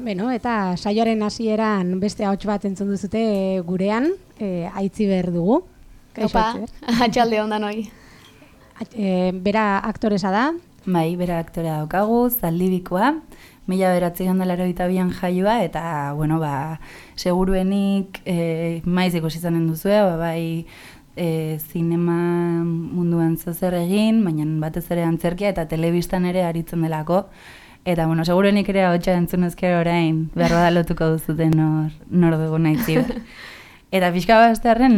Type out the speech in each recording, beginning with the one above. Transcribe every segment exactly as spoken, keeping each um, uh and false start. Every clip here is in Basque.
Beno, eta saioaren hasieran beste ahots bat entzun duzute gurean, e, Aitziber dugu. Opa, atxalde ondan hoi. E, bera aktoresa da. Bai, bera aktorea daukagu, Zaldibikoa, mila bederatziehun eta laurogeita bian jaioa, eta, bueno, ba, seguruenik e, maiz ikusi izanen duzue, ba, bai, e, zinema munduan zozer egin, baina batez ere antzerkia eta telebistan ere aritzen delako. Eta, bueno, seguruenik ere ahotsa entzun ezkero orain, behar bada lotuko duzuten nor, nor dugu Aitziber. Eta pixka baztearen,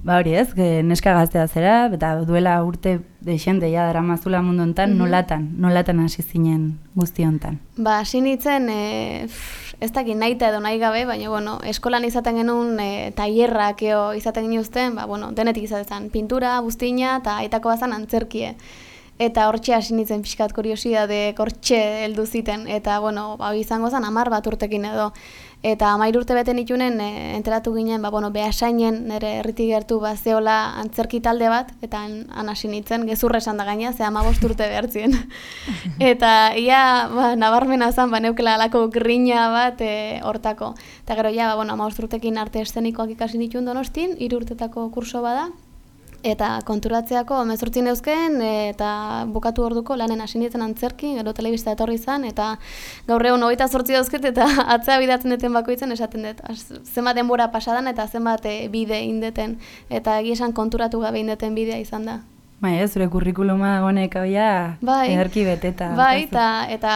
ba hori ez, neska gaztea zera, eta duela urte deixente ja daramazula mundu hontan, mm-hmm. nolatan, nolatan hasi zinen guzti hontan. Ba, hasi nintzen, e, ez dakit nahita edo nahi gabe, baina, bueno, eskolan izaten genuen e, tailerrak eo izaten ginuzten, ba, bueno, denetik izaten pintura, buztina, eta aitako bazan antzerkie. Eta hortxe hasi nintzen pixkat kuriosidade, hortxe heldu ziten, eta, bueno, ba, izango zen hamar bat urtekin edo. Eta hamairu urte bete nitunen, e, enteratu ginen, ba, bueno, Beasainen, nire herritik gertu ba, zeola antzerki talde bat, eta han hasi nintzen, gezurra esan da gaina, ze hamabost urte behartzien. Eta ia, ba, nabarmena zen, ba, neukela alako grina bat e, hortako. Eta gero, ja, ba, bueno, hamabost urtekin arte eszenikoak ikasi nituen Donostin, hiru urtetako kurso bada, eta konturatzeako hemezortzi neuzken eta bukatu orduko lanen hasi nintzen antzerki, gero telebista etorri izan, eta gaur egun hogeita zortzi dauzket eta atzea bidatzen duten bakoitzen esaten dut. Zenbat denbora pasadan eta zenbat bide indeten, eta egia esan konturatu gabe indeten bidea izan da. Bai, ez, zure kurrikuluma dagoenek abia bai, ederki beteta. Bai, eta, eta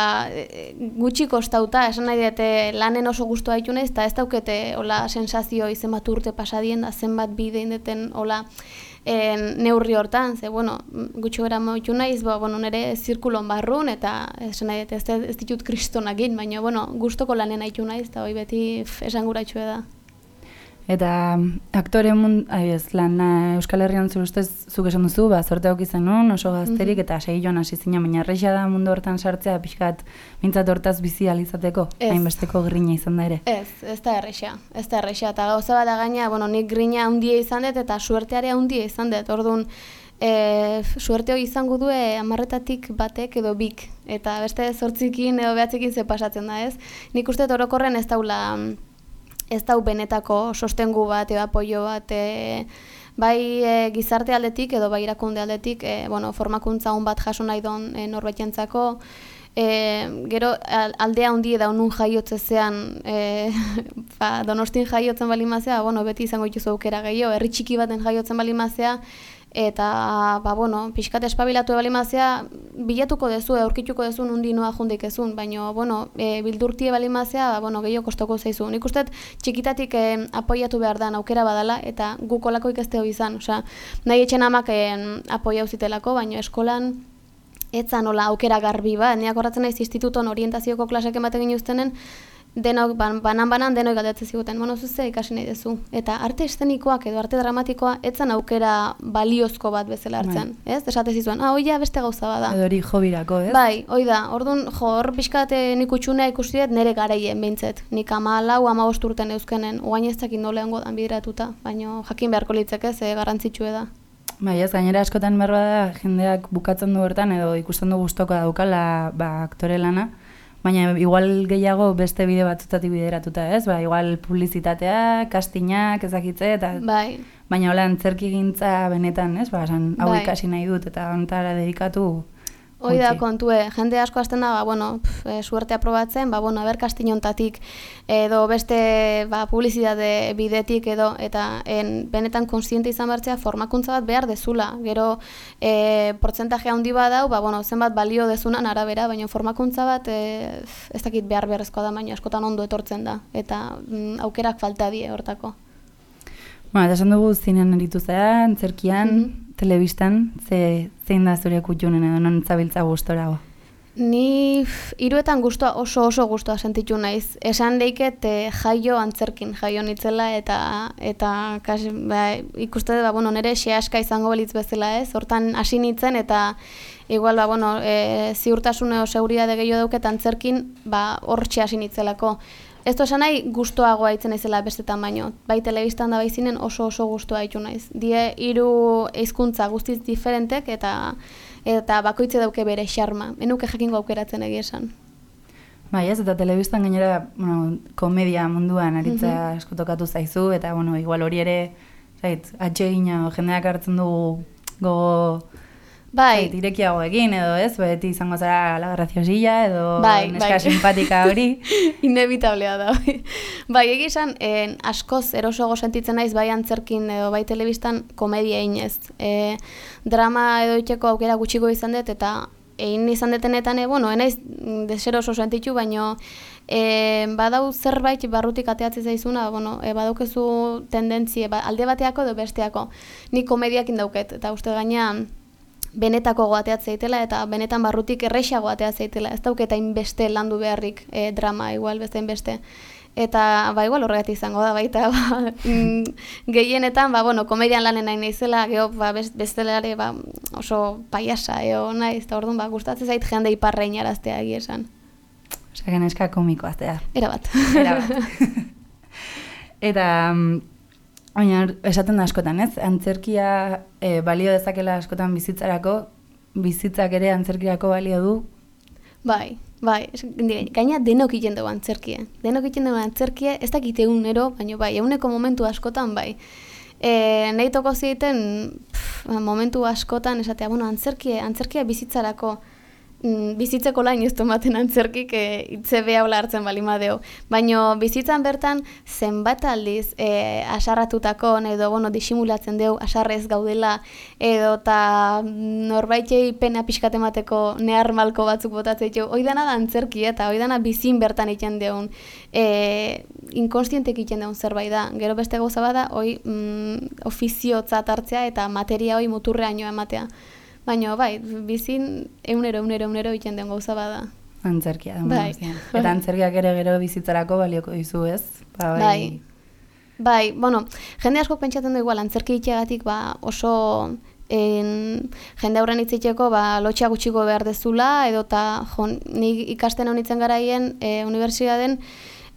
gutxi kostauta, esan nahi dute lanen oso gustua ditu naiz, eta ez daukete hola sensazio zenbat urte pasadien da zenbat bide indeten hola En, neurri hortan, ze, bueno, gutxo gara moitu naiz, ba, bueno, nire zirkulon barrun, eta esan nahi, ez, ez ditut kristonak egin, baina, bueno, gustoko lanen haitu naiz, eta hoi beti esan gura itxue da. Eta aktore mund, ez, lan Euskal Herrian zure ustez zuk esan duzu, ba, zorte hau izan nun, oso gazterik, mm-hmm. eta segi joan hasi zina, baina erresa da mundu hortan sartzea, pixkat, mintzat hortaz bizi alizateko, hainbesteko grina izan da ere. Ez, ez da erresa, ez da erresa, eta gauza bat da gaina, bueno, nik grina handia izan dut, eta suertearea handia izan dut, orduan, e, suerte hori izango du hamarretatik batek edo bik, eta beste zortzikin edo behatzekin ze pasatzen da, ez? Nik uste orokorren ez daula, ez dau benetako sostengu bat edo apoio bat, e, bai e, gizarte aldetik edo bai irakunde aldetik, e, bueno, formakuntza hon bat jaso nahi don e, norbaitentzako, e, gero aldea handi eda honun jaiotzezean, e, ba, Donostin jaiotzen balimazea, bueno, beti izango dituzu aukera gehiago, herri txiki baten jaiotzen balimazea, eta, ba, bueno, pixkat espabilatu ebalimazea, bilatuko dezu, aurkituko dezu nundi noa jundik ezun, baina, bueno, e, bildurtie balimazea, ba, bueno, gehiago kostoko zeizu. Nik uste txikitatik e, apoiatu behar da, aukera badala, eta gukolako ikasteo izan, osea, nahi etxen amak e, apoia uzitelako, baina eskolan, etzan nola aukera garbi ba, niak horretzen naiz instituton orientazioko klasek ematen ginuztenen, denok, ban, banan-banan denok galdetzen ziguten, bueno, zuze ikasi nahi dezu. Eta arte eszenikoak edo arte dramatikoa etzan aukera baliozko bat bezala hartzen, ez? Esate zizuen, ah, oia beste gauza bada. Edo hori hobirako, ez? Bai, hoi da, orduan, jo, hor pixkat nik utxunea ikusi dut nire garaien behintzet. Nik ama lau, ama bost urten euskenen, oain ez dakit noleango dan bideratuta, baina jakin beharko litzeke, ze garrantzitsue da. Bai, ez, gainera askotan berba da, jendeak bukatzen du hortan, edo ikusten du gustoko daukala, ba, aktore lana, baina igual gehiago beste bide batzutatik bideratuta, ez? Ba, igual publizitatea, kastinak, ezakitze, eta... Bai. Baina hola antzerki gintza benetan, ez? Ba, esan, hau bai. Ikasi nahi dut, eta honetara dedikatu... Hoi da kontue, jende asko hasten da, ba, bueno, pf, e, suerte aprobatzen, ba, bueno, aber kastinontatik, edo beste ba, publizitate bidetik edo, eta en, benetan konsiente izan bertzea formakuntza bat behar dezula. Gero, e, portzentaje handi bat dau, ba, bueno, zenbat balio dezunan arabera, baina formakuntza bat e, ez dakit behar beharrezkoa da, baina askotan ondo etortzen da, eta mm, aukerak falta die hortako. Ba, eta esan dugu zinean eritu zera, antzerkian, mm-hmm. telebistan, ze, zein da zure kutxunen edo non zabiltza gustora? Ni hiruetan gustua, oso oso gustua sentitu naiz. Esan deiket e, jaio antzerkin, jaio nitzela eta eta kasi, ba, ikuste ba, bueno, nire xeaska izango belitz bezala, ez? Hortan hasi nitzen eta igual ba, bueno, e, ziurtasun edo seguridade gehiago dauket antzerkin, ba, hortxe hasi nitzelako. Ez du esan nahi gustoagoa itzen naizela bestetan baino. Bai telebistan da bai zinen oso oso gustoa ditu naiz. Die hiru hizkuntza guztiz diferentek eta eta bakoitze dauke bere xarma. Enuke jakingo aukeratzen egia esan. Bai, ez, eta telebistan gainera, bueno, komedia munduan aritza mm-hmm. asko tokatu zaizu, eta, bueno, igual hori ere, zait, atsegina, jendeak hartzen dugu gogo, bai. zait, irekiago egin, edo ez, beti izango zara la graciosilla, edo bai, neska bai. simpatika hori. Inevitablea da, bai. Bai, egizan, eh, askoz erosoago sentitzen naiz, bai antzerkin edo bai telebistan komedia inez. Eh, drama edo itxeko aukera gutxiko izan dut, eta egin izan detenetan, e, bueno, enaiz deseroso sentitu, baino e, badau zerbait barrutik ateatzen zaizuna, bueno, e, badaukezu tendentzie, ba, alde bateako edo besteako. Ni komediakin dauket, eta uste gaina benetako goateat zeitela, eta benetan barrutik erreixago ateat zeitela. Ez dauketa inbeste landu beharrik e, drama, igual, beste inbeste. Eta, ba, igual horregatik izango da, baita, ba, gehienetan, ba, bueno, komedian lanen nahi naizela, geho, ba, bestelare, ba, oso paiasa, eo, naiz, eta orduan, ba, gustatzen zait jende iparrein araztea egia esan. Osea, geneska komikoa, zea. Era bat. Era bat. Eta, baina, esaten da askotan, ez? Antzerkia e, balio dezakela askotan bizitzarako, bizitzak ere antzerkiako balio du. Bai. Bai, gaina denok egiten dugu antzerkie. Denok egiten dugu antzerkie, ez dakite egunero, baina bai, eguneko momentu askotan bai. E, nahi toko ziten momentu askotan esatea, bueno, antzerkie, antzerkia bizitzarako, mm, bizitzeko lain ez tomaten antzerkik e, itze behaula hartzen balimadeo. Baina bizitzan bertan zenbat aldiz e, asarratutako, edo bueno, disimulatzen deu asarrez gaudela, edo eta norbaitei pena pixkat emateko nehar malko batzuk botatzen ditu. Hoi dana da antzerkia eta hoi dana bizin bertan egiten deun, e, inkonstientek egiten deun zerbait da. Gero beste gauza bada, hoi mm, ofiziotzat hartzea eta materia hoi muturreaino ematea. Baina, bai, bizin eunero, eunero, eunero egiten den gauza bada. Antzerkia, da, bai. Eta antzerkiak ere gero bizitzarako balioko dizu, ez? Ba, bai. bai. Bai, bueno, jende asko pentsatzen du igual, antzerki itxegatik ba, oso en, jende aurren itziteko ba, lotxa gutxiko behar dezula, edo eta ni ikasten honitzen garaien e, unibertsitaten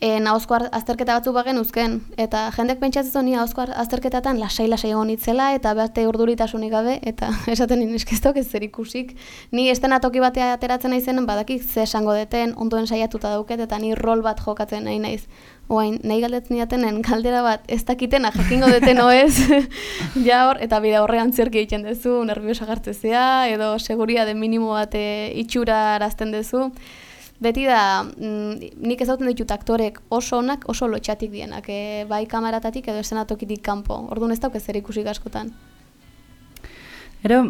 E, nahozko azterketa batzuk bagen uzken. Eta jendek pentsatzen ni nahozko azterketatan lasai-lasai egon itzela, eta beste urduritasunik gabe, eta esaten nien eskeztok ez zer ikusik. Ni estenatoki batea ateratzen naizenen, badakik ze esango deten, ondoen saiatuta dauket, eta ni rol bat jokatzen nahi naiz. Oain, nahi galdetzen diatenen, galdera bat ez dakitena jakingo deten oez, ja hor, eta bide horrean zerki egiten duzu, nerviosa gartzezea, edo seguridade minimo bat e, itxura arazten duzu. Beti da, mm, nik ezauten ditut aktorek oso onak, oso lotxatik dienak, e, bai kamaratatik edo esenatokitik kanpo. Orduan ez dauk ez zer ikusik askotan. Ero,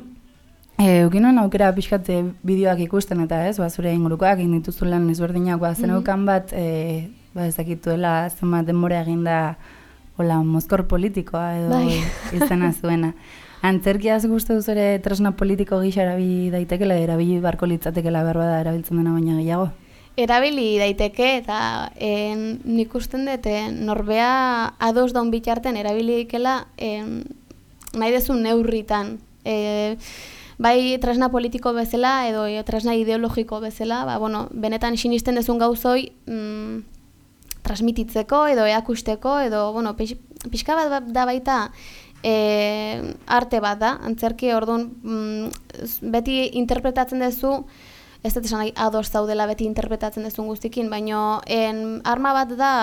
e, ukinoen aukera pixkate bideoak ikusten eta ez, ba, zure ingurukoak egin dituzu lan ezberdinak, ba, zeneukan bat, e, ba, ezakituela zenbat denbora eginda hola, mozkor politikoa edo bai. izena zuena. Antzerkiaz gustu duz ere tresna politiko gisa erabili daitekela, erabili barko litzatekela behar bada erabiltzen dena baina gehiago? Erabili daiteke eta en, nik usten dut norbea ados daun bitarten erabili daikela nahi dezun neurritan. E, bai tresna politiko bezala edo e, tresna ideologiko bezala, ba, bueno, benetan sinisten dezun gauzoi mm, transmititzeko edo eakusteko edo bueno, pix, pixka bat da baita E, arte bat da, antzerki orduan mm, beti interpretatzen duzu, ez dut esan nahi ados zaudela beti interpretatzen duzun guztikin, baina en, arma bat da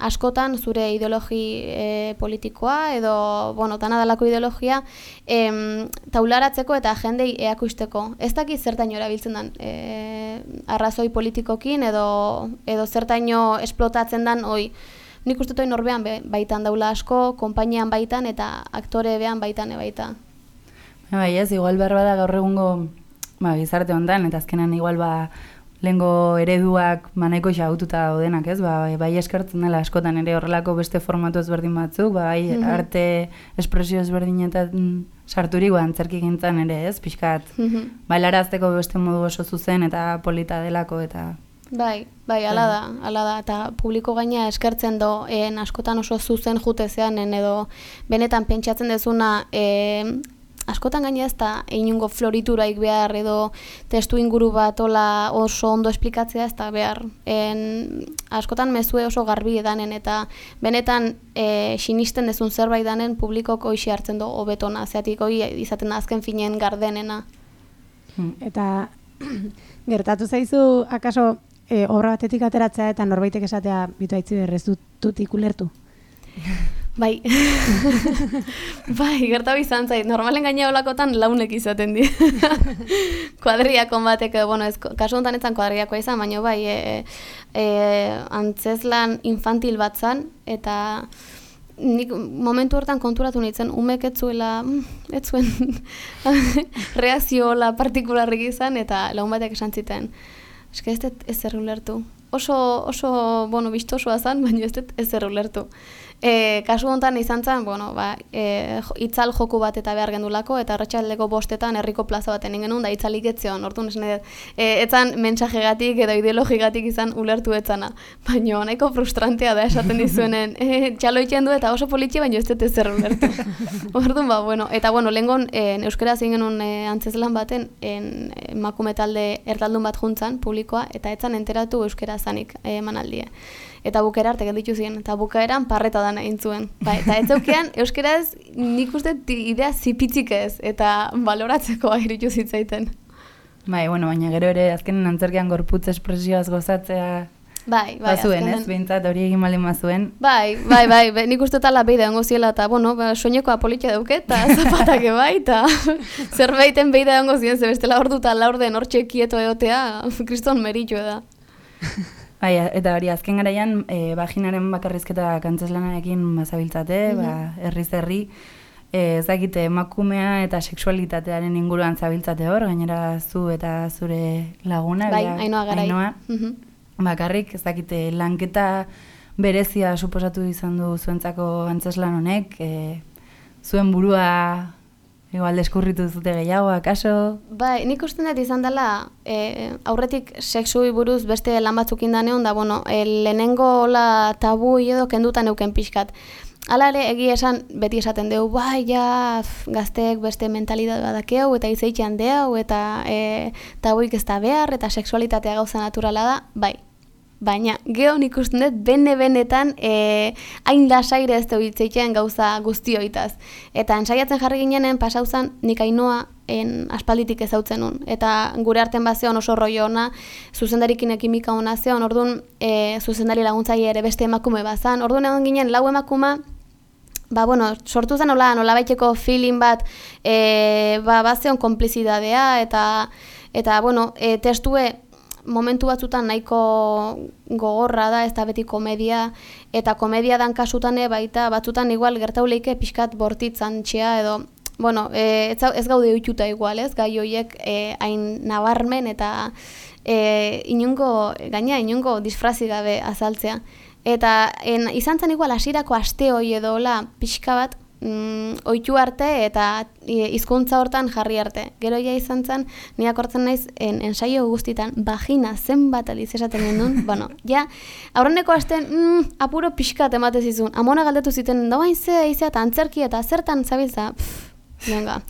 askotan zure ideologi e, politikoa edo, bueno, tanadalako ideologia em, taularatzeko eta jendei eakusteko. Ez dakit zertaino erabiltzen den e, arrazoi politikokin edo, edo zertaino esplotatzen den hoi. Nik uste dut norbean baitan daula asko, konpainian baitan eta aktore behan baitan baita. Bai, ez, igual behar bada gaur egungo ba, gizarte hontan, eta azkenan igual ba, lehengo ereduak manaiko xaututa daudenak, ez? Ba, bai eskertzen dela askotan ere horrelako beste formatu ezberdin batzuk, bai mm-hmm. arte espresio ezberdinetan sarturik ba, antzerki gintzen ere, ez? Pixkat, mm-hmm. bailarazteko beste modu oso zuzen eta polita delako eta... Bai, bai, ala da, ala da, eta publiko gaina eskertzen do, en, askotan oso zuzen jutezean, edo benetan pentsatzen dezuna, e, askotan gaina ez da inungo florituraik behar, edo testu inguru bat ola oso ondo esplikatzea ez da behar. En, askotan mezue oso garbi edanen, eta benetan e, sinisten dezun zerbait danen publikok hoxe hartzen do hobetona, zeatik hoi izaten da azken finen gardenena. Eta gertatu zaizu, akaso, e, obra batetik ateratzea eta norbaitek esatea bitu aitzi berrez dut, dut ikulertu. Bai, bai, gertabi izan zait, normalen gaina olakotan launek izaten di. Kuadriakon batek, bueno, ez, kasu honetan etzan kuadriakoa izan, baina bai, e, e, antzeslan infantil bat zan, eta nik momentu hortan konturatu nintzen, umek ez zuela, ez zuen reakzioa partikularrik izan, eta lagun batek esan ziten. Eske ez dut ez zer ulertu. Oso, oso, bueno, bistosoa zan, baina ez dut ez zer ulertu. E, kasu honetan izan zen, bueno, ba, e, itzal joku bat eta behar gendulako, eta arratsaldeko bostetan herriko plaza baten ingenun, da itzalik etzion, orduan esan edo, e, etzan mensajegatik edo ideologigatik izan ulertu etzana. Baina nahiko frustrantea da esaten dizuenen, e, txalo itxen du eta oso politxe, baina ez dut ez zer ulertu. Orduan, ba, bueno, eta bueno, lehengon e, euskera zein genuen e, antzeslan baten, en, emakume talde erdaldun bat juntzan, publikoa, eta etzan enteratu euskera zanik e, emanaldia. Eta bukaera arte gelditu ziren, eta bukaeran parreta dana egin zuen. Ba, eta ez zeukean, euskaraz nik uste idea zipitzik ez, eta baloratzeko iritu zitzaiten. Bai, bueno, baina gero ere azkenen antzerkian gorputz espresioaz gozatzea bai, bai, bazuen, azkenen... ez? Behintzat hori egin baldin bazuen. Bai, bai, bai, bai, nik uste tala behi da ongo ziela, eta, bueno, ba, soinekoa politia dauket, eta zapatake bai, eta zerbaiten behi da ongo ziren, ze bestela ordu eta laurden hortxe kieto egotea, kriston meritu da. Bai, eta hori azken garaian e, vaginaren bakarrizketa kantzeslanarekin bazabiltzate, mm-hmm. ba, herriz herri, e, ezakite emakumea eta sexualitatearen inguruan zabiltzate hor, gainera zu eta zure laguna, bai, bera, Ainoa Garai. Ainoa, Mm-hmm. bakarrik, ezakite lanketa berezia suposatu izan du zuentzako antzeslan honek, e, zuen burua igual deskurritu zute gehiago, akaso? Bai, nik uste dut izan dela, e, aurretik sexui buruz beste lan batzuk indaneon, da, bueno, e, lehenengo la tabu edo kendutan euken pixkat. Hala ere, egia esan, beti esaten dugu, bai, ja, gazteek beste mentalidad badakeu, eta izeitxean deu, eta e, tabuik ez da behar, eta sexualitatea gauza naturala da, bai. Baina, geho nik uste dut, bene-benetan, e, hain lasaire ez dugu itzeitzen gauza guztioitaz. Eta ensaiatzen jarri ginenen, pasauzan, nik Ainoa en, aspalditik ezautzen nun. Eta gure arten bazeon oso rollo ona, zuzendarikin ekimika ona zeon, orduan e, zuzendari laguntzaile ere beste emakume bazan. Orduan egon ginen, lau emakuma, ba, bueno, sortu zen nola, nola baiteko feeling bat, e, ba, bazeon konplizidadea, eta, eta bueno, e, testue, momentu batzutan nahiko gogorra da, ez da beti komedia, eta komedia dan kasutane baita batzutan igual gertauleike pixkat bortitzan txea edo, bueno, e, ez, ez gaude oituta igual, ez, gai horiek e, hain nabarmen eta e, inungo, gaina inungo disfrazi gabe azaltzea. Eta en, izan zen igual hasierako aste hori edo la pixka bat, Mm, oitu arte eta hizkuntza hortan jarri arte. Gero ja izan zen, ni akortzen naiz en, ensaio guztitan, vagina zenbat aliz esaten gendun, bueno, ja, aurreneko asten, mm, apuro pixkat emate zizun, amona galdetu ziten, da bain ze, izea, eta antzerki, eta zertan zabiltza, pff, venga,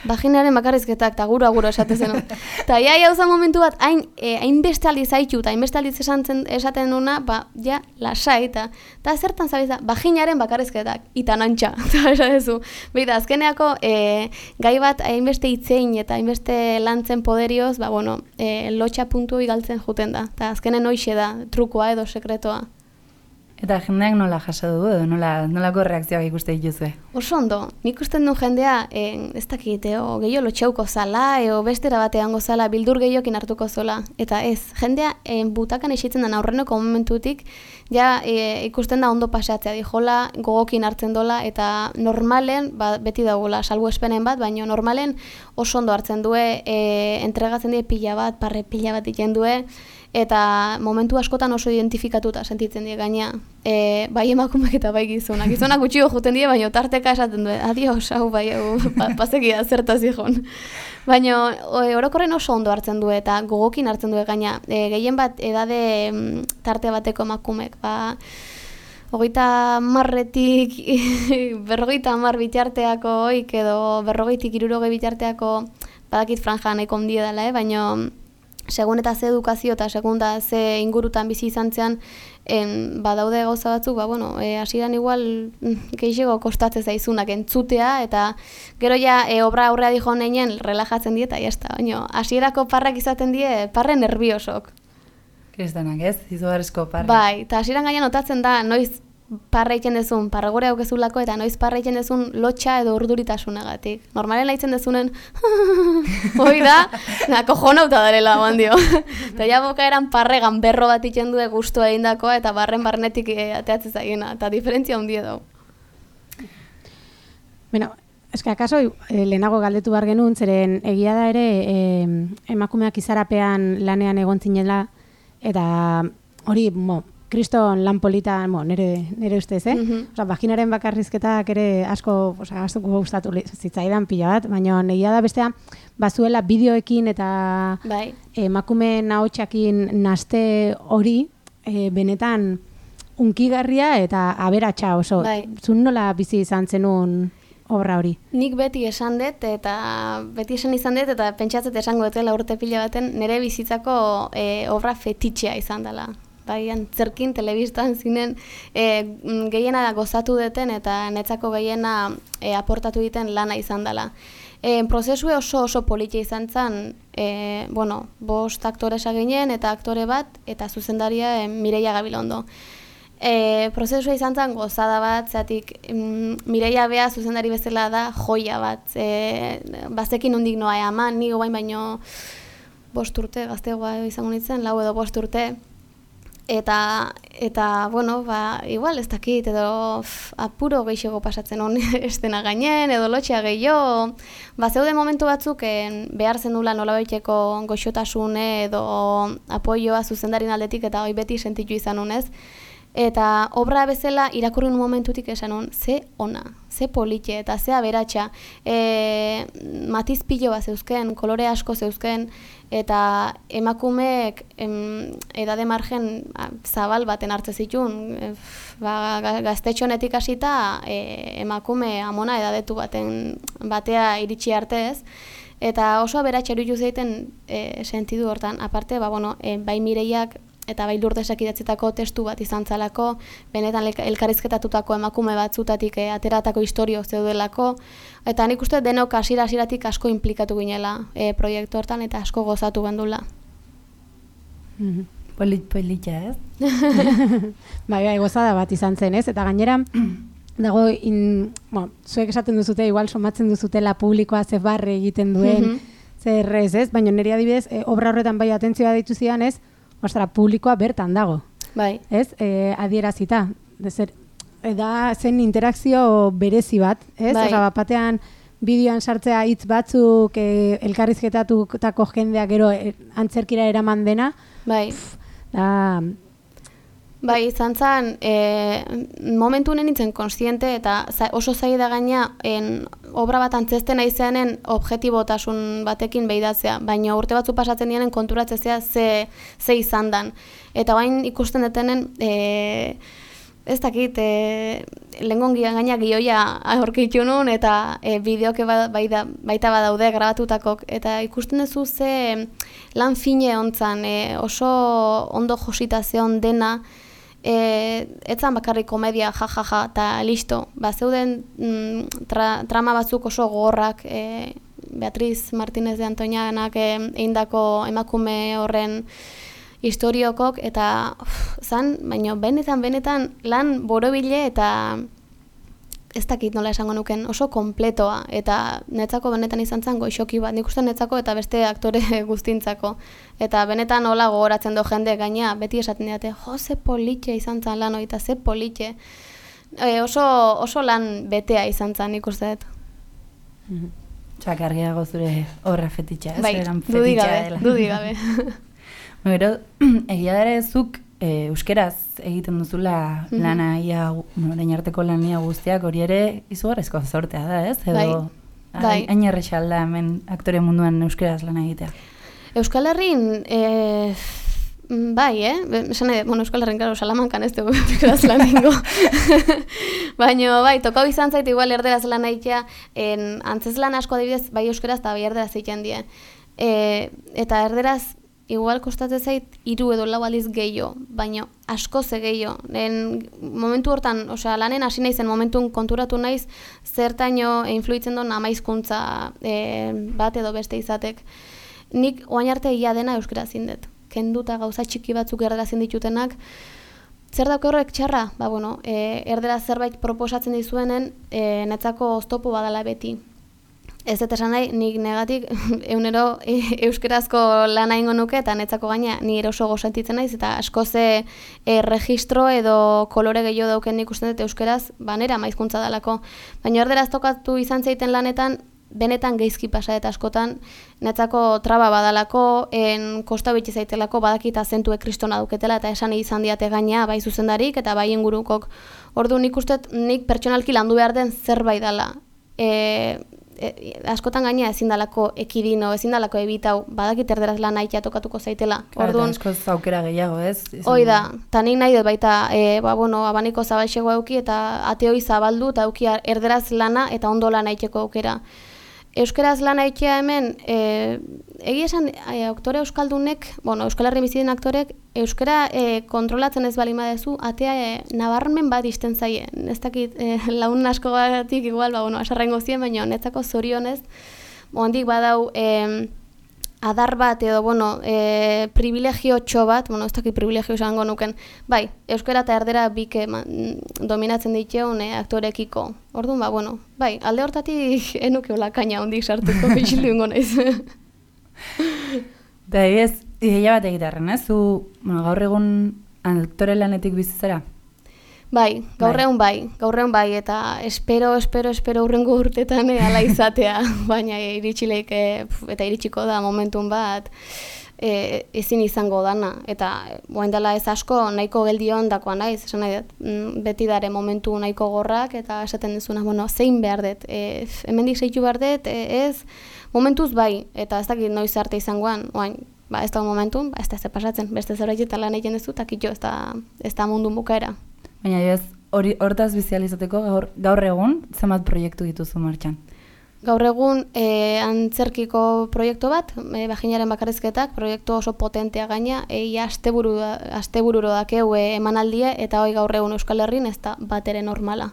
vaginaren bakarrizketak, eta guro-aguro esaten zen. Eta ja, jauza momentu bat, hain, e, hain beste aldiz haitu, eta hain beste aldiz esaten, esaten duna, ba, ja, lasai, eta eta zertan zabiltza, vaginaren bakarrizketak, eta nantxa, eta esatezu. Beida, azkeneako, e, gai bat hainbeste itzein eta hainbeste lantzen poderioz, ba, bueno, e, lotxa puntu igaltzen juten da, eta azkenen hoixe da, trukoa edo sekretoa. Eta jendeak nola jaso du edo nola, nolako reakzioak ikuste dituzue? Oso ondo, nik usten du jendea, eh, ez dakit, o gehiago lotxauko zala, eo bestera batean gozala, bildur gehiokin hartuko zola. Eta ez, jendea eh, butakan esitzen den aurreneko momentutik, ja eh, ikusten da ondo pasatzea dijola, gogokin hartzen dola, eta normalen, ba, beti dagoela, salbu espenen bat, baina normalen oso ondo hartzen due, eh, entregatzen die pila bat, parre pila bat iken due, eta momentu askotan oso identifikatuta sentitzen die gaina, e, bai emakumeak eta bai gizonak. Gizonak gutxio juten die, baina tarteka esaten du, adios, hau bai, hau, pa, pasekia zertaz ikon. Baina orokorren oso ondo hartzen du eta gogokin hartzen du gaina, e, gehien bat edade m, tarte bateko emakumek, ba, hogeita marretik, berrogeita mar bitarteako oik edo berrogeitik hirurogei bitarteako, badakit franja nahiko ondia dela, eh? Baina segun eta ze edukazio eta segun da ze ingurutan bizi izan zean, en, badaude gauza batzuk, ba, bueno, e, hasieran igual gehiago kostatzen zaizunak entzutea, eta gero ja e, obra aurrea dijo neinen relajatzen die eta jazta, baina hasierako parrak izaten die parre nerviosok. Kristanak ez, izugarrizko parra. Bai, eta hasieran gaina notatzen da, noiz parra egiten dezun, parra gore haukezulako, eta noiz parra egiten dezun lotxa edo urduritasunagatik. Normalen laitzen dezunen, hoi da, na, kojonauta darela, bandio. Eta ja boka eran parre ganberro bat itzen du guztua egindakoa, eta barren barnetik e, ateatzen zaigena, eta diferentzia hundie dago. Bueno, eske akaso eh, lehenago galdetu behar genuen, zeren egia da ere eh, emakumeak izarapean lanean egon zinela, eta hori, mo, kriston lan politan, mo, nire, nire ustez, eh? Mhm. Osa, vaginaren bakarrizketak ere asko, osa, asko gustatu li- zitzaidan pila bat, baina egia da bestea, bazuela bideoekin eta Bai. emakume nahotxakin naste hori, eh, benetan unkigarria eta aberatsa oso. Bai. Zun nola bizi izan zenun obra hori? Nik beti esan dut, eta beti esan izan dut, eta pentsatzet esango dutela urte pila baten, nire bizitzako e, obra fetitxea izan dela. Baian, zerkin, telebistan, zinen, e, gehiena gozatu duten, eta netzako gehiena e, aportatu diten lana izan dela. E, prozesue oso oso politia izan zen, e, bueno, bost aktoresa ginen, eta aktore bat, eta zuzendaria e, Mireia Gabilondo. E, prozesua izan zen gozada bat, zeatik mm, Mireia Bea zuzendari bezala da joia bat. E, bazekin hundik noa ama, ni guain baino bost urte, gaztegoa izango nintzen, lau edo bost urte. Eta, eta bueno, ba, igual ez dakit, edo pff, apuro gehiago pasatzen hon estena gainen, edo lotxea gehiago. Ba, zeude momentu batzuk en, behar zenula nolabaiteko goxotasune edo apoioa zuzendarin aldetik, eta hoi beti sentitu izan honez. Eta obra bezala irakurrin momentutik esan hon, ze ona, ze politxe eta ze aberatsa. E, matiz pilo bat zeuzken, kolore asko zeuzken, eta emakumeek em, edade margen a, zabal baten hartze zituen, e, ba, gaztetxonetik hasita e, emakume amona edadetu baten batea iritsi arte ez. Eta oso aberatsa iruditu zeiten e, sentidu hortan. Aparte, ba, bueno, e, bai Mireiak eta bai Lurdesak idatzitako testu bat izan zalako, benetan elkarrizketatutako emakume batzutatik e, ateratako historio zeudelako, eta nik uste denok hasiera-hasieratik asko inplikatu ginela e, proiektu hortan, eta asko gozatu gendula. Mhm. Polit, politxa, ez? Bai, bai, gozada bat izan zen, ez? Eta gainera, dago, in, bueno, zuek esaten duzute, igual somatzen duzutela publikoa ze barre egiten duen, Mhm. zer ez, ez? Baina nire adibidez, e, obra horretan bai atentzioa ditu zidan, ez? Ostra, publikoa bertan dago, Bai, ez? E, adierazita. Zer, e, da zen interakzio berezi bat, ez? Bai. Osa, bat batean bideoan sartzea hitz batzuk, e, elkarrizketatutako jendeak gero e, antzerkira eraman dena, bai. da, Bai, izan zen, e, momentu honen nintzen konstiente eta za, oso zaila da gaina en, obra bat antzesten aizeanen objetibotasun batekin behidatzea, baina urte batzu pasatzen dienen konturatzea ze, ze izan dan. Eta bain ikusten detenen, e, ez dakit, e, lehengon gaina gioia aurkitu nun, eta e, bideoke ba, baita, baita badaude grabatutakok, eta ikusten duzu ze lan fine hontzan, e, oso ondo josita zeon dena, E, etzan bakarrik komedia jajaja eta listo. Ba, zeuden mm, tra, trama batzuk oso gogorrak, e, Beatriz Martínez de Antoñanak e, eindako emakume horren historiokok, eta uf, zan, baina benetan, benetan lan borobile eta ez dakit nola esango nuken, oso kompletoa, eta netzako benetan izan zen goixoki bat, nik uste netzako eta beste aktore guztintzako. Eta benetan hola gogoratzen do jende gaina, beti esaten diate, jo, ze politxe izan zen lan hori, eta ze politxe. E, oso, oso lan betea izan zen, nik uste dut. Txak argiago zure obra fetitxa, ez? Bai, Eran dudik fetitxa gabe, dela. dudik gabe. Gero, egia dara zuk e, euskeraz egiten duzula Mhm. lana ia, bueno, orain arteko lania guztiak, hori ere izugarrizko zortea da, ez? Edo, Bai, bai. hain erresa alda hemen aktore munduan euskeraz lana egitea. Euskal Herrin, e, bai, eh? Esan nahi, bueno, Euskal Herrin, karo, Salamankan ez dugu euskaraz lan ingo. Baina, bai, tokau izan zait igual erderaz lan egitea, en, antzez lan asko adibidez, bai euskaraz eta bai erderaz egiten die. E, eta erderaz, igual kostatzen zait hiru edo lau aldiz gehiago, baina asko ze gehiago. En momentu hortan, osea, lanen hasi naizen momentun konturatu naiz zertaino influitzen duen amaizkuntza e, bat edo beste izatek. Nik oain arte ia dena euskera zindet. kenduta gauza txiki batzuk erderazien ditutenak, zer dauke horrek txarra? Ba, bueno, e, erderaz zerbait proposatzen dizuenen, e, netzako oztopo badala beti. Ez dut esan nahi, nik negatik eunero e, euskerazko lana ingo nuke, eta netzako gaina ni eroso gozentitzen naiz, eta asko ze e, registro edo kolore gehiago dauken ikusten dut euskeraz, ba, nera maizkuntza dalako. Baina erderaz tokatu izan zeiten lanetan, benetan geizki pasa eta askotan, netzako traba badalako, en kosta bitxe zaitelako, badakita zentue kristona duketela, eta esan izan diate gaina, bai zuzendarik, eta bai ingurukok. Ordu nik ustet, nik pertsonalki landu behar den zerbait dala. E, e, askotan gaina ezin dalako ekidino, ezin dalako ebitau, badakit erderaz lan aitea tokatuko zaitela. Orduan, eta askoz aukera gehiago, ez? Hoi da, eta nik nahi dut baita, e, ba, bueno, abaniko zabalxego auki, eta ateoi zabaldu, eta auki erderaz lana, eta ondo lan aiteko aukera. Euskeraz lan aitea hemen, e, egia esan, e, aktore euskaldunek, bueno, Euskal Herri bizi den aktorek, euskera e, kontrolatzen ez bali madezu, atea e, nabarmen bat izten zaie. Ez dakit, e, laun asko batik igual, ba, bueno, asarrengo zien, baina netzako zorionez, ondik badau, e, adar bat edo, bueno, e, privilegio txo bat, bueno, ez dakit privilegio esango nuken, bai, euskera eta erdera bike dominatzen diteun e, aktorekiko. Orduan, ba, bueno, bai, alde hortatik enuke hola kaina hondik sartuko bizilu ingo naiz. Da, ez, ideia bat egitarren, ez? Zu, bueno, gaur egun aktore lanetik bizizera? Bai, gaur egun bai, gaur egun bai, eta espero, espero, espero urrengo urtetan e, ala izatea, baina iritsileik, e, eta iritsiko da momentun bat, e, ezin izango dana, eta boen dela ez asko nahiko geldion dakoa naiz, esan nahi dut, beti dare momentu nahiko gorrak, eta esaten dezuna, bueno, zein behar dut, e, hemendik zeitu behar dut, e, ez, momentuz bai, eta ez dakit noiz arte izangoan, oain, ba, ez da momentun, ba, ez da ez pasatzen, beste zerbait eta lan egiten dezu, eta kitxo, ez da, ez da mundu bukaera. Baina ez, hori hortaz bizializateko gaur, gaur egun, zenbat proiektu dituzu martxan? Gaur egun e, antzerkiko proiektu bat, e, Bajinaren bakarrizketak, proiektu oso potentea gaina, e, asteburu, astebururo dakeu e, emanaldia, eta hoi gaur egun Euskal Herrin ez da bat ere normala.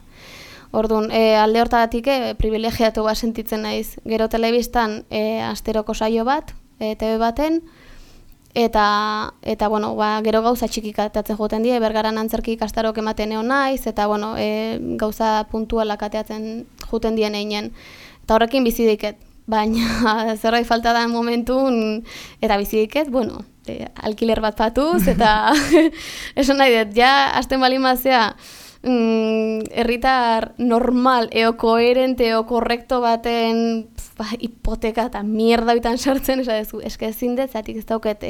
Orduan, e, alde hortatik e, privilegiatu bat sentitzen naiz. Gero telebistan e, asteroko saio bat, e, T V baten, Eta, eta bueno, ba, gero gauza txikik ateatzen joten die, Bergaran antzerki ikastarok ematen egon naiz, eta bueno, e, gauza puntualak ateatzen joten dien einen. Eta horrekin bizi diket, baina zerbait falta da momentun, eta bizi diket, bueno, e, alkiler bat patuz, eta esan nahi dut, ja, hasten bali mazea, mm, herritar normal, eo koherente, eo korrekto baten ba, hipoteka eta mierda bitan sartzen, esadezu, eske ezin dut, zatik ez dauket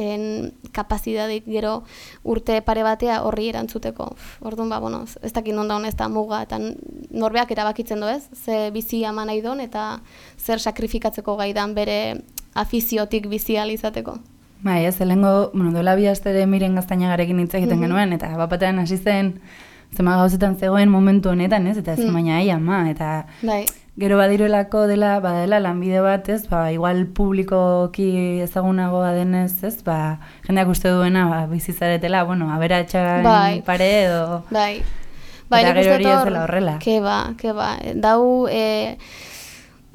kapazidadik gero urte pare batea horri erantzuteko. Orduan, ba, bueno, ez dakit non daun ez da muga, eta norbeak erabakitzen du ez, ze bizi ama nahi don, eta zer sakrifikatzeko gaidan bere afiziotik bizi izateko. Bai, ez, helengo, bueno, dola bi astere Miren Gaztainagarekin hitz egiten mm-hmm. genuen, eta bapatean hasi zen, zema gauzetan zegoen momentu honetan, ez, eta ez mm. baina ai ama, eta bai. Gero badiruelako dela, badela lanbide bat, ez, ba, igual publikoki ezagunagoa denez, ez, ba, jendeak uste duena, ba, bizizaretela, bueno, aberatxan bai. pare edo... Bai, bai, eta gero hori ez dela horrela. Ke ba, ke ba, dau... E...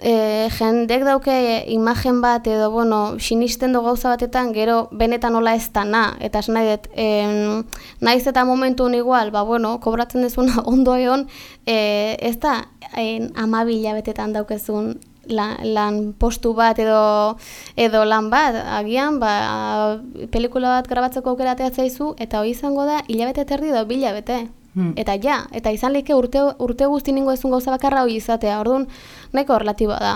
E, jendek dauke imagen bat edo, bueno, sinisten do gauza batetan, gero benetan nola ez da na, eta esan nahi dut, e, naiz eta momentun igual, ba, bueno, kobratzen dezuna ondo egon, e, ez da, e, amabila betetan daukezun lan, lan postu bat edo, edo lan bat, agian, ba, pelikula bat grabatzeko aukera ateatzaizu, eta hori izango da, hilabete terdi edo bilabete. Hmm. Eta ja, eta izan lehike urte, urte guzti ningo ezun gauza bakarra hori izatea, orduan nahiko relatiboa da.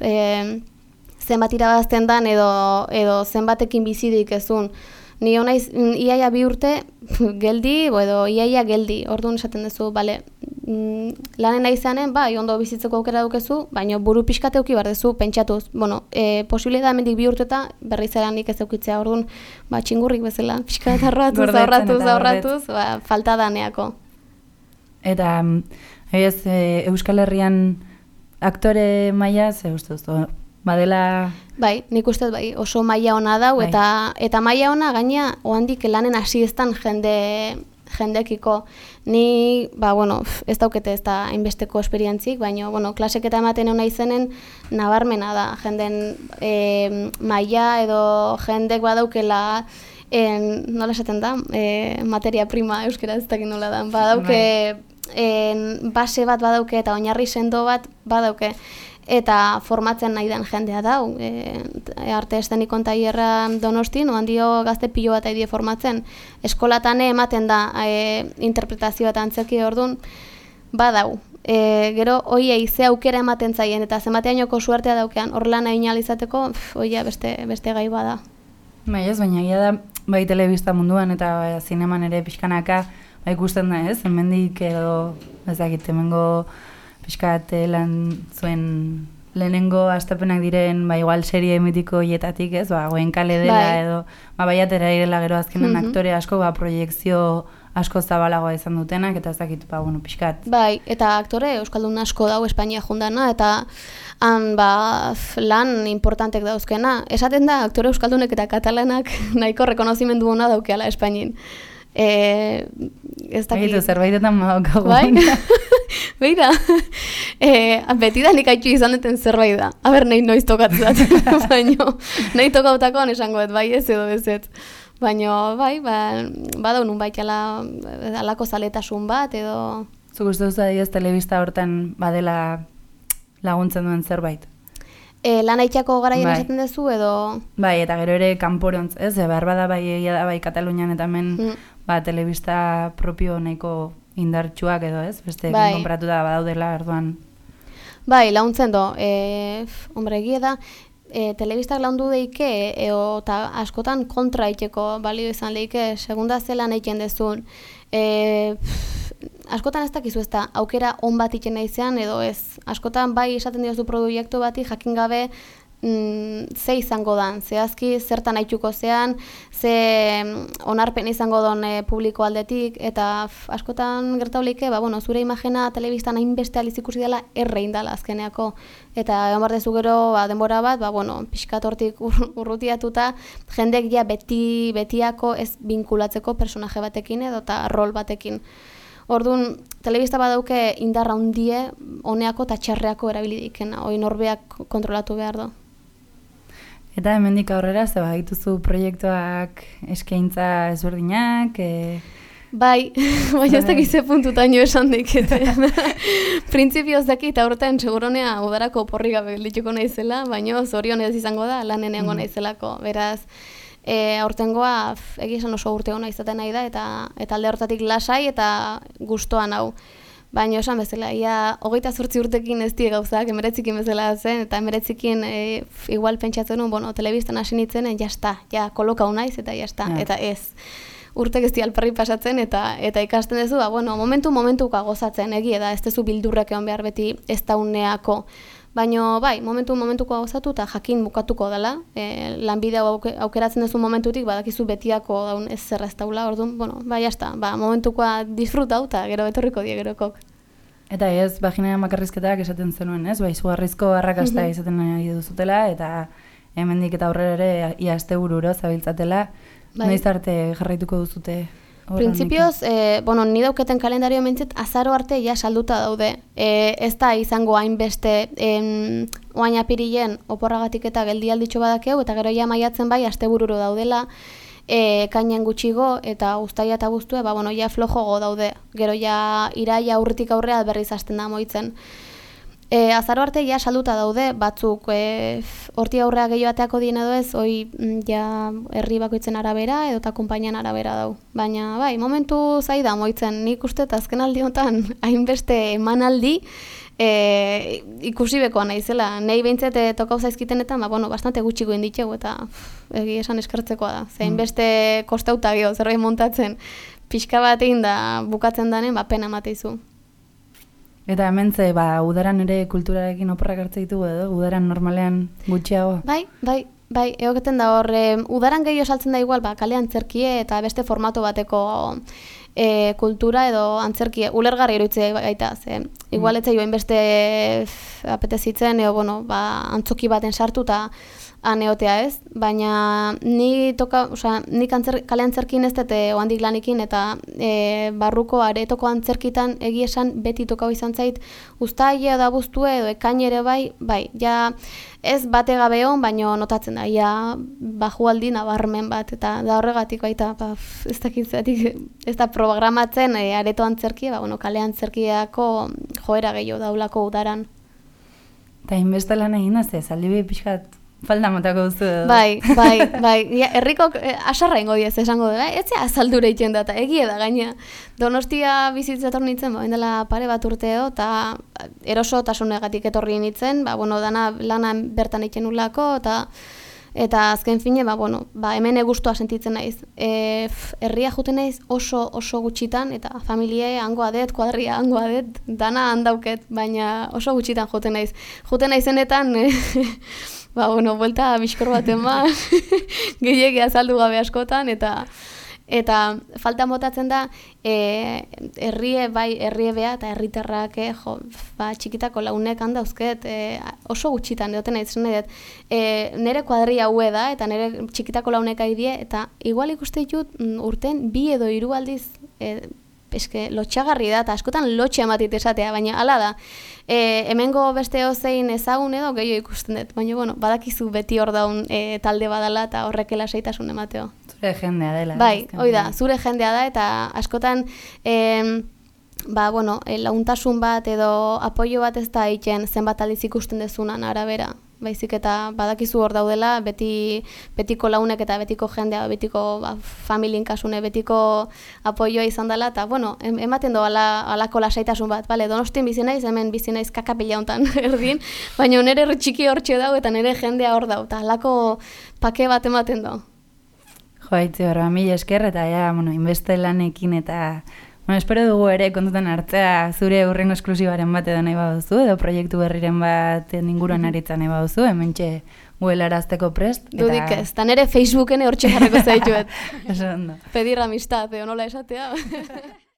E, zenbat irabazten dan edo, edo zenbatekin bizidik ezun. Ni honaiz, iaia bi urte geldi, edo iaia geldi, orduan esaten duzu, bale, lanen izanen, bai, ondo bizitzeko aukera dukezu, baina buru pixkate euki behar dezu, pentsatuz. Bueno, e, posible da hemendik bi urteta berriz eranik ez eukitzea, orduan, ba, txingurrik bezala, pixka eta arratuz, aurratuz, aurratuz, ba, falta daneako. Eta, ez, e, Euskal Herrian aktore maila, ze uste duzu, badela... Bai, nik uste bai, oso maila ona dau, bai. eta, eta maila ona gaina, ohandik lanen hasi eztan jende... jendekiko. Ni, ba, bueno, ez daukete ez da hainbesteko esperientzik, baina, bueno, klaseketa ematen hona izenen nabarmena da. Jenden e, maila edo jendek badaukela en, nola esaten da, e, materia prima euskera ez dakit nola da, badauke, en, base bat badauke eta oinarri sendo bat badauke, eta formatzen nahi den jendea dau. E, arte eszenikon tailerra Donostin, oan dio gazte pilo bat aidie formatzen. Eskolatan ematen da e, interpretazioa eta antzerki ordun badau. E, gero, oiei ze aukera ematen zaien, eta zenbateainoko suertea daukean, hor lan egin ahal izateko, oia beste, beste gai bada. Bai ez, baina egia da, bai telebista munduan eta bai, zineman ere pixkanaka, bai ikusten da ez, hemendik edo, ez dakit, hemengo pixkat lan zuen lehenengo astapenak diren, ba, igual serie mitiko hietatik ez, ba, goen kale dela bai. Edo, ba, bai atera irela gero azkenen mm -hmm. aktore asko, ba, proiektzio asko zabalagoa izan dutenak, eta ez dakit, ba, bueno, pixkat. Bai, eta aktore euskaldun asko dau Espainia jundana, eta han, ba, lan importantek dauzkena. Esaten da, aktore euskaldunek eta katalanak nahiko rekonozimendu hona daukeala Espainin. E, ez dakit. Egitu, zerbaitetan madaukagu. Bai? Beira, e, beti da nik haitxu izan duten zerbait da. Aber, nahi noiz tokatzat. Baina, nahi tokautakoan esango ez, bai ez edo ez ez. Baina, bai, ba, badau nun baita alako zaletasun bat edo... Zuk uste duzu adiez telebista hortan badela laguntzen duen zerbait? E, lan haitxako garaien bai. Esaten duzu edo... Bai, eta gero ere kanporontz, ez? Behar bada bai egia da bai Katalunian eta hemen mm. ba, telebista propio nahiko indartsuak edo ez? Beste bai. Konpratu da badaudela erduan. Bai, laguntzen do. E, hombre, egia da, e, telebistak laundu deike, eta e, askotan kontra iteko balio izan leike, segunda zelan eiken dezun. E, askotan ez dakizu ez da, aukera on bat iken naizean edo ez. Askotan bai esaten diozu proiektu bati jakin gabe mm, ze izango dan, zehazki zertan haituko zean, ze onarpen izango don e, publiko aldetik, eta f, askotan gertauleike, ba, bueno, zure imagena telebistan hainbeste aliz ikusi dela errein dela azkeneako. Eta egon bardezu gero ba, denbora bat, ba, bueno, pixkat hortik ur, urrutiatuta, jendek ja beti, betiako ez binkulatzeko personaje batekin edo eta rol batekin. Orduan, telebista badauke indarra hundie, honeako eta txarreako erabilidikena, hori norbeak kontrolatu behar du. Eta hemendik aurrera, ze badituzu proiektuak eskaintza ezberdinak? E... Bai, baina ez dakize puntutaino esan dikete. Printzipioz dakit aurten seguronea udarako porri gabe geldituko naizela, baina zorionez izango da lanen egongo naizelako, beraz. E, aurtengoa egia esan oso urte hona izaten nahi da eta eta alde hortatik lasai eta gustoan hau. Baina esan bezala, ia hogeita zortzi urtekin ez die gauzak, emeretzikin bezala zen, eta emeretzikin e, igual pentsatzen nuen, bueno, telebistan hasi nintzen, ja sta, ja kolokau naiz eta ja sta, yeah. Eta ez. Urtek ez di alperri pasatzen eta eta ikasten duzu, ba, bueno, momentu momentuka gozatzen, egia da, ez duzu bildurrek egon behar beti ez dauneako. Baina, bai, momentu momentuko gozatu eta jakin bukatuko dela. E, lanbide aukeratzen duzu momentutik, badakizu betiako daun ez zer ez daula, orduan, bueno, bai, jazta, ba, momentukoa disfrutau eta gero etorriko die gerokok. Eta ez, vaginaren makarrizketak esaten zenuen, ez? Ba, izugarrizko arrakasta mm-hmm. izaten nahi duzutela, eta hemendik eta aurrera ere ia astebururo zabiltzatela. Bai. Noiz arte jarraituko duzute? Printzipioz, eh, bueno, ni dauketen kalendario mentzet, azaro arte ja salduta daude. E, ez da izango hainbeste em, oain apirilen oporragatik eta geldialditxo badakeu, eta gero ja maiatzen bai astebururo daudela, e, kainen gutxigo, eta uztaia eta guztue, ba, bueno, ja flojogo daude. Gero ja iraia aurretik aurrea berriz hasten da moitzen. E, azaro arte ja salduta daude, batzuk e, horti aurrea gehiago ateako dien edo ez, hoi ja herri bakoitzen arabera edo eta konpainian arabera dau. Baina bai, momentu zaida moitzen, nik uste eta azken aldi honetan hainbeste emanaldi e, ikusi bekoa naizela. Nei behintzet tokau zaizkitenetan, ba, bueno, bastante gutxiko inditxegu eta egi esan eskertzekoa da. Ze hainbeste kostauta geho zerbait montatzen, pixka bat egin da bukatzen danen, ba, pena mateizu. Eta hemen ze, ba, udaran ere kulturarekin oporrak hartze ditugu edo, udaran normalean gutxiago? Bai, bai, bai, egoketen da hor, e, udaran gehiago saltzen da igual, ba, kale antzerkie eta beste formato bateko e, kultura edo antzerkie, ulergarri eruitze gaita, ze, igual etzai joan beste apetezitzen, edo, bueno, ba, antzoki baten sartu eta aneotea ez, baina ni toka, osea, nik antzer, kale antzerkin ez dut ohandik lanikin, eta e, barruko aretoko antzerkitan egia esan beti tokau izan zait, uztaila da buztu edo ekain ere bai, bai, ja ez bate gabe hon, baina notatzen da, ja bajualdi nabarmen bat, eta da horregatik baita, ba, ez dakit zeratik, ez da programatzen e, areto antzerkia, ba, bueno, kale antzerkiako joera gehiago daulako udaran. Eta inbeste lan egin da, ze, zaldi pixkat falda motako duzu edo. Bai, bai, bai. Ja, herrikok eh, asarra ingo diez esango du, eh? Ez zea azaldura itxen da, eta egie da gaina. Donostia bizitzator nintzen, ba, dela pare bat urteo, eta erosotasunegatik etorri nintzen, ba, bueno, dana lana bertan itxen ulako, eta eta azken fine, ba, bueno, ba, hemen egustua sentitzen naiz. E, f, herria juten naiz oso oso gutxitan, eta familie hangoa det, kuadria hangoa det, dana handauket, baina oso gutxitan juten naiz. Juten naizenetan, e, ba, bueno, buelta bizkor bat ema, gehiagia azaldu gabe askotan, eta eta falta motatzen da, e, herrie, bai, herrie bea, eta herritarrak, e, jo, ba, txikitako launek handauzket, e, oso gutxitan, edoten nahi zen edet, e, nire kuadria hue da, eta nire txikitako launek aidie, eta igual ikuste ditut urten bi edo hiru aldiz, e, eske lotxagarri da, eta askotan lotxe ematit esatea, baina hala da. E, hemengo beste ozein ezagun edo gehiago ikusten dut, baina bueno, badakizu beti hor daun e, talde badala eta horrek lasaitasun emateo. Zure jendea dela. Bai, hoi da, zure jendea da, eta askotan e, ba, bueno, e, launtasun bat edo apoio bat ez da egiten zenbat aldiz ikusten dezunan arabera. Baizik eta badakizu hor daudela, beti, betiko launek eta betiko jendea, betiko ba, familien kasune, betiko apoioa izan dela, eta bueno, ematen do ala, alako lasaitasun bat, bale, Donostin bizi naiz, hemen bizi naiz kakapila hontan erdin, baina nire txiki hortxe dau eta nire jendea hor dau, eta alako pake bat ematen do. Jo, haitzi horra, mila esker, eta ja, bueno, inbeste lanekin eta... Bueno, espero dugu ere kontutan hartzea zure urrengo esklusibaren bat edo nahi baduzu, edo proiektu berriren bat inguruan aritzen nahi baduzu, hementxe guelarazteko prest. Eta... Dudik ez, eta nire Facebooken hortxe jarreko zaituet. Eso ondo. Pedir amistad, edo nola esatea.